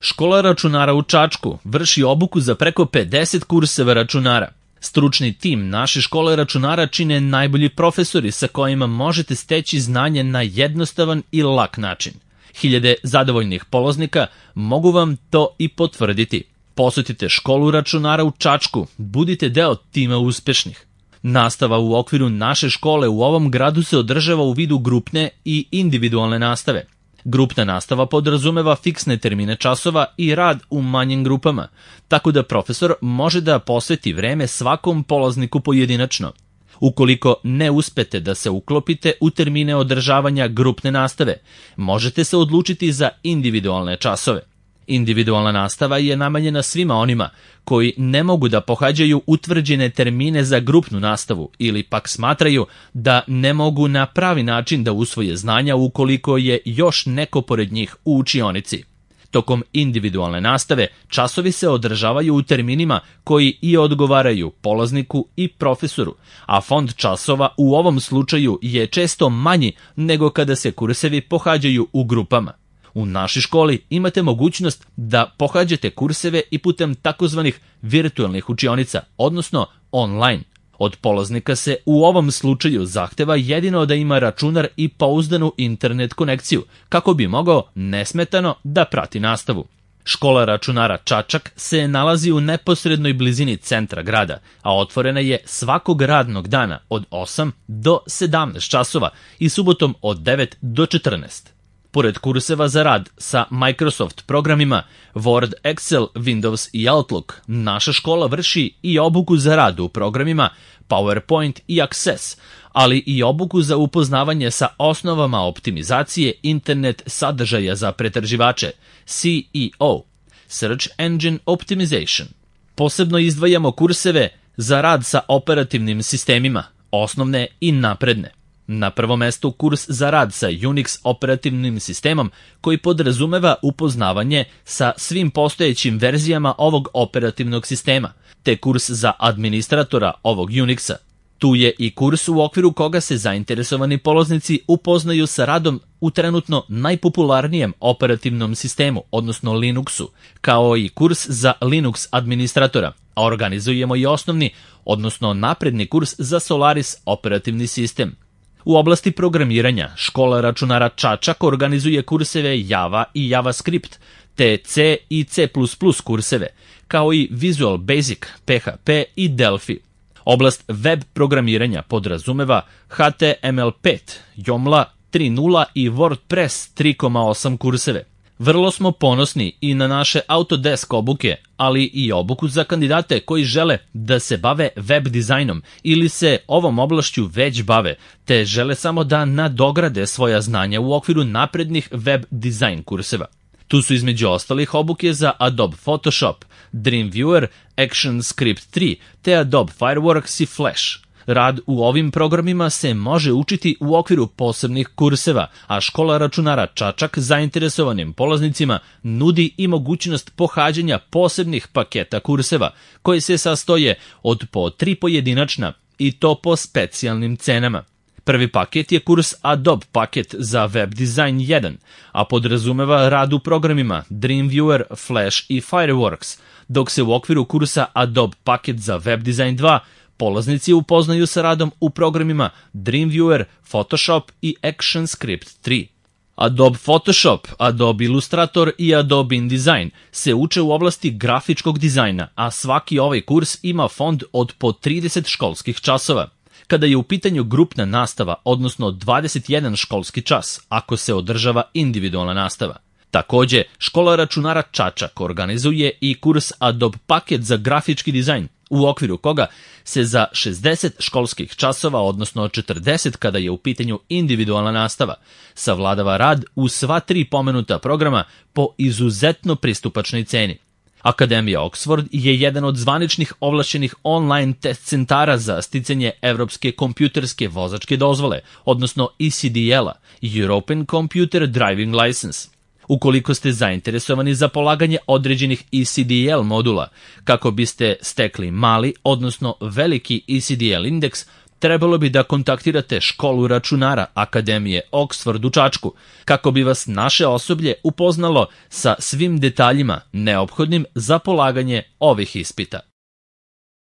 Škola računara u Čačku vrši obuku za preko 50 kurseva računara. Stručni tim naše škole računara čine najbolji profesori sa kojima možete steći znanje na jednostavan i lak način. Hiljade zadovoljnih polaznika mogu vam to i potvrditi. Posetite školu računara u Čačku, budite deo tima uspešnih. Nastava u okviru naše škole u ovom gradu se održava u vidu grupne i individualne nastave. Grupna nastava podrazumeva fiksne termine časova i rad u manjim grupama, tako da profesor može da posveti vreme svakom polazniku pojedinačno. Ukoliko ne uspete da se uklopite u termine održavanja grupne nastave, možete se odlučiti za individualne časove. Individualna nastava je namenjena svima onima koji ne mogu da pohađaju utvrđene termine za grupnu nastavu ili pak smatraju da ne mogu na pravi način da usvoje znanja ukoliko je još neko pored njih u učionici. Tokom individualne nastave časovi se održavaju u terminima koji i odgovaraju polazniku i profesoru, a fond časova u ovom slučaju je često manji nego kada se kursevi pohađaju u grupama. U našoj školi imate mogućnost da pohađate kurseve i putem takozvanih virtualnih učionica, odnosno online. Od polaznika se u ovom slučaju zahteva jedino da ima računar i pouzdanu internet konekciju, kako bi mogao nesmetano da prati nastavu. Škola računara Čačak se nalazi u neposrednoj blizini centra grada, a otvorena je svakog radnog dana od 8 do 17 časova i subotom od 9 do 14. Pored kurseva za rad sa Microsoft programima Word, Excel, Windows i Outlook, naša škola vrši i obuku za rad u programima PowerPoint i Access, ali i obuku za upoznavanje sa osnovama optimizacije internet sadržaja za pretraživače, SEO, Search Engine Optimization. Posebno izdvajamo kurseve za rad sa operativnim sistemima, osnovne i napredne. Na prvom mestu kurs za rad sa Unix operativnim sistemom koji podrazumeva upoznavanje sa svim postojećim verzijama ovog operativnog sistema, te kurs za administratora ovog Unixa. Tu je i kurs u okviru koga se zainteresovani polaznici upoznaju sa radom u trenutno najpopularnijem operativnom sistemu, odnosno Linuxu, kao i kurs za Linux administratora, a organizujemo i osnovni, odnosno napredni kurs za Solaris operativni sistem. U oblasti programiranja, škola računara Čačak organizuje kurseve Java i JavaScript, te C i C++ kurseve, kao i Visual Basic, PHP i Delphi. Oblast web programiranja podrazumeva HTML5, Joomla 3.0 i WordPress 3.8 kurseve. Vrlo smo ponosni i na naše Autodesk obuke, ali i obuku za kandidate koji žele da se bave web dizajnom ili se ovom oblašću već bave, te žele samo da nadograde svoja znanja u okviru naprednih web dizajn kurseva. Tu su između ostalih obuke za Adobe Photoshop, Dreamweaver, ActionScript 3, te Adobe Fireworks i Flash. Rad u ovim programima se može učiti u okviru posebnih kurseva, a škola računara Čačak zainteresovanim polaznicima nudi i mogućnost pohađanja posebnih paketa kurseva, koji se sastoje od po 3 pojedinačna i to po specijalnim cenama. Prvi paket je kurs Adobe paket za web design 1, a podrazumeva rad u programima Dreamweaver, Flash i Fireworks, dok se u okviru kursa Adobe paket za web design 2 polaznici upoznaju sa radom u programima Dreamweaver, Photoshop i ActionScript 3. Adobe Photoshop, Adobe Illustrator i Adobe InDesign se uče u oblasti grafičkog dizajna, a svaki ovaj kurs ima fond od po 30 školskih časova. Kada je u pitanju grupna nastava, odnosno 21 školski čas, ako se održava individualna nastava. Takođe, škola računara Čačak organizuje i kurs Adobe paket za grafički dizajn, u okviru koga se za 60 školskih časova, odnosno 40 kada je u pitanju individualna nastava, savladava rad u sva 3 pomenuta programa po izuzetno pristupačnoj ceni. Akademija Oxford je jedan od zvaničnih ovlašćenih online test centara za sticanje evropske kompjuterske vozačke dozvole, odnosno ECDL-a, European Computer Driving License. Ukoliko ste zainteresovani za polaganje određenih ECDL modula, kako biste stekli mali, odnosno veliki ECDL indeks, trebalo bi da kontaktirate školu računara Akademije Oxford u Čačku, kako bi vas naše osoblje upoznalo sa svim detaljima neophodnim za polaganje ovih ispita.